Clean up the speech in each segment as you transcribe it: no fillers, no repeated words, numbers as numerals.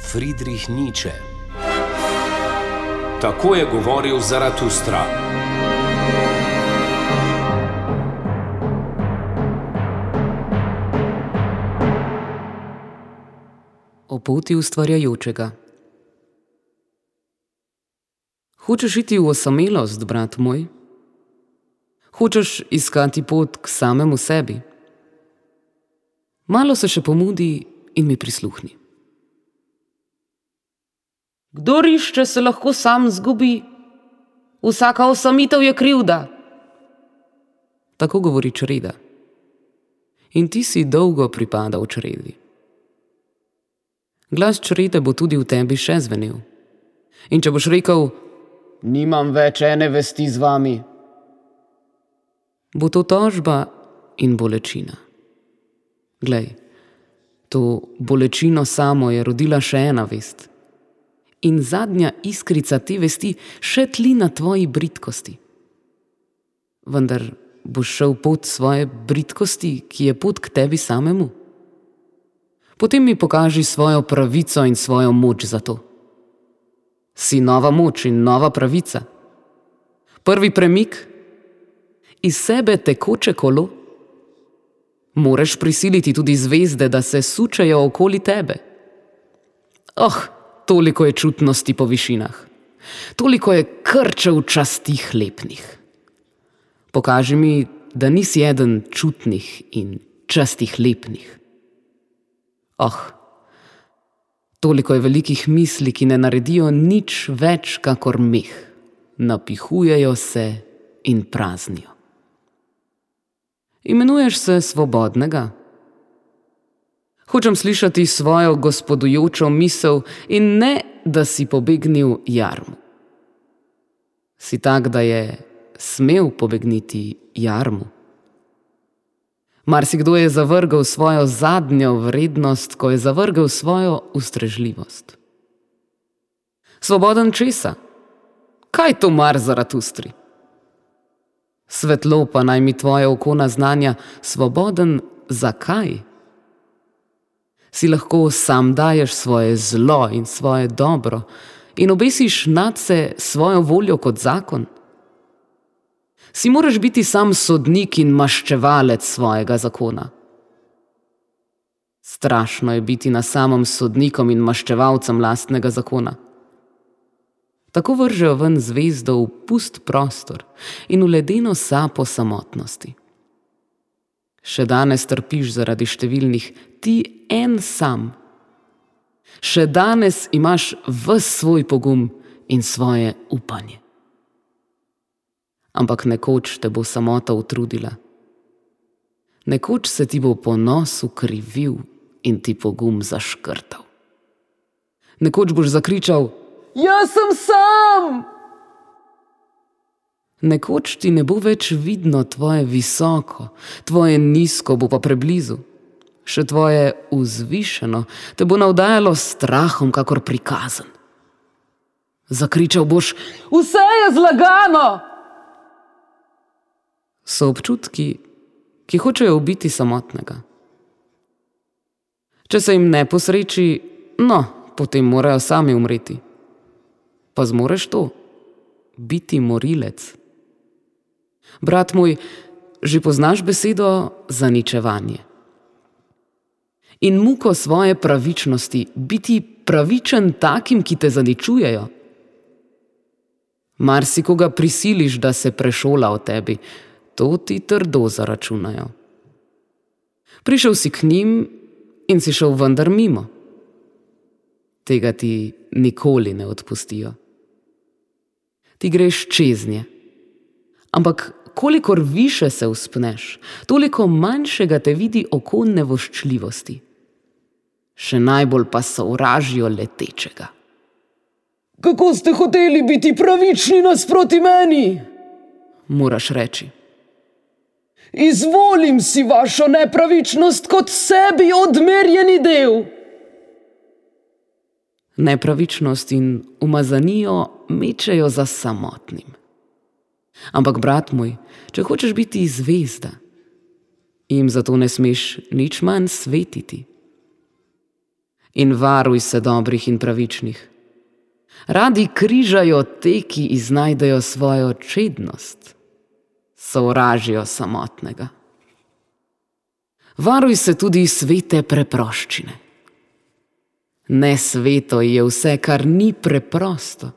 Friedrich Nietzsche. Tako je govoril Zaratustra. O poti ustvarjajočega. Hočeš iti v osamelost, brat moj? Hočeš iskati pot k samemu sebi? Malo se še pomudi in mi prisluhni. Kdor išče, se lahko sam zgubi. Vsaka osamitev je krivda. Tako govori čreda. In ti si dolgo pripadal čredi. Glas črede bo tudi v tebi še zvenel. In če boš rekel, nimam več ene vesti z vami, bo to tožba in bolečina. Glej, to bolečino samo je rodila še ena vest. In zadnja iskrica te vesti še tli na tvoji bridkosti. Vendar boš šel pot svoje bridkosti, ki je pot k tebi samemu. Potem mi pokaži svojo pravico in svojo moč za to. Si nova moč in nova pravica. Prvi premik, iz sebe tekoče kolo. Moraš prisiliti tudi zvezde, da se sučejo okoli tebe. Toliko je čutnosti po višinah. Toliko je krčev časti hlebnih. Pokaži mi, da nisi eden čutnih in časti hlebnih. Toliko je velikih misli, ki ne naredijo nič več kakor meh. Napihujejo se in praznijo. Imenuješ se svobodnega? Hočem slišati svojo gospodujočo misel in ne, da si pobegnil jarmu. Si tak, da je smel pobegniti jarmu? Marsikdo je zavrgel svojo zadnjo vrednost, ko je zavrgel svojo ustrežljivost. Svoboden česa? Kaj to mar Zaratustri? Svetlo pa naj mi tvoje oko naznanja, svoboden zakaj? Si lahko sam daješ svoje zlo in svoje dobro in obesiš nadse svojo voljo kot zakon? Si moraš biti sam sodnik in maščevalec svojega zakona. Strašno je biti na samem sodnikom in maščevalcem lastnega zakona. Tako vržejo ven zvezdo v pust prostor in v ledeno sapo samotnosti. Še danes trpiš zaradi številnih, ti en sam. Še danes imaš ves svoj pogum in svoje upanje. Ampak nekoč te bo samota utrudila. Nekoč se ti bo ponos ukrivil in ti pogum zaškrtal. Nekoč boš zakričal, jaz sem sam! Nekoč ti ne bo več vidno tvoje visoko, tvoje nizko bo pa preblizu. Še tvoje vzvišeno te bo navdajalo strahom, kakor prikazen. Zakričal boš, vse je zlagano! So občutki, ki hočejo ubiti samotnega. Če se jim ne posreči, potem morajo sami umreti. Pa zmoreš to? Biti morilec? Brat moj, že poznaš besedo zaničevanje. In muko svoje pravičnosti, biti pravičen takim, ki te zaničujejo. Marsikoga prisiliš, da se prešola o tebi, to ti trdo zaračunajo. Prišel si k njim in si šel vendar mimo. Tega ti nikoli ne odpustijo. Ti greš čez nje. Ampak kolikor više se vzpneš, toliko manjšega te vidi oko nevoščljivosti. Še najbolj pa sovražijo letečega. Kako ste hoteli biti pravični nasproti meni? Moraš reči. Izvolim si vašo nepravičnost kot sebi odmerjeni del. Nepravičnost in umazanijo mečejo za samotnim. Ampak, brat moj, če hočeš biti zvezda, jim zato ne smeš nič manj svetiti. In varuj se dobrih in pravičnih. Radi križajo te, ki iznajdejo svojo čednost, sovražijo samotnega. Varuj se tudi svete preproščine. Nesveto je vse, kar ni preprosto.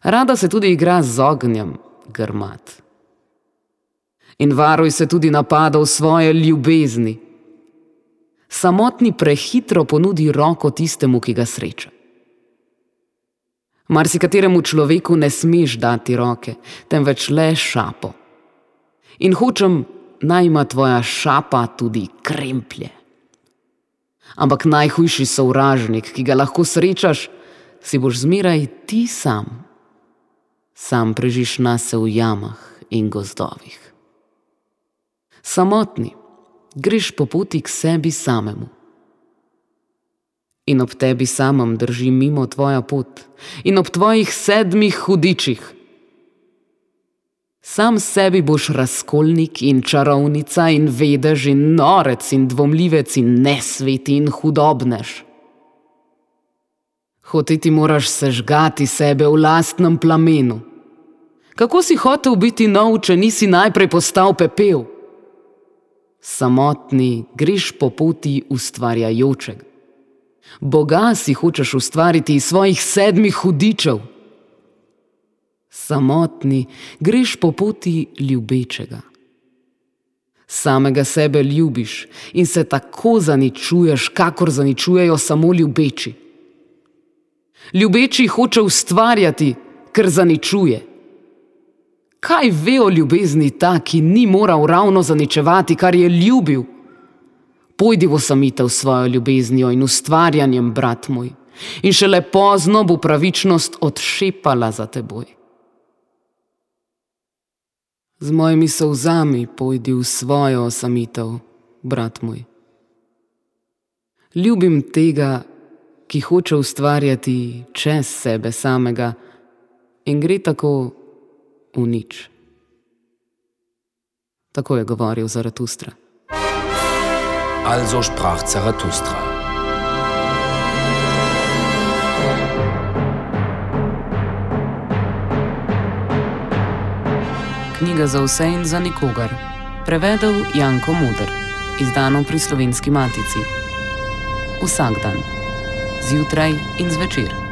Rada se tudi igra z ognjem, grmat. In varuj se tudi napadov svoje ljubezni. Samotni prehitro ponudi roko tistemu, ki ga sreča. Marsikateremu človeku ne smeš dati roke, temveč le šapo. In hočem, naj ima tvoja šapa tudi kremplje. Ampak najhujši sovražnik, ki ga lahko srečaš, si boš zmeraj ti sam. Sam prežiš nase v jamah in gozdovih. Samotni, greš po poti k sebi samemu. In ob tebi samem drži mimo tvoja pot in ob tvojih 7 hudičih. Sam sebi boš razkolnik in čarovnica in vedež in norec in dvomljivec in nesveti in hudobnež. Hoteti moraš sežgati sebe v lastnem plamenu. Kako si hotel biti nov, če nisi najprej postal pepel? Samotni, greš po poti ustvarjajočega. Boga si hočeš ustvariti iz svojih 7 hudičev. Samotni, greš po poti ljubečega. Samega sebe ljubiš in se tako zaničuješ, kakor zaničujejo samo ljubeči. Ljubeči hoče ustvarjati, ker zaničuje. Kaj ve o ljubezni ta, ki ni moral ravno zaničevati, kar je ljubil? Pojdi v osamitev svojo ljubeznijo in ustvarjanjem, brat moj, in šele pozno bo pravičnost odšepala za teboj. Z mojimi solzami pojdi v svojo osamitev, brat moj. Ljubim tega, ki hoče ustvarjati čez sebe samega in gre tako v nič. Tako je govoril Zaratustra. Also sprach Zarathustra. Knjiga za vse in za nikogar. Prevedel Janko Moder. Izdano pri Slovenski matici. Vsak dan. Zjutraj in zvečer.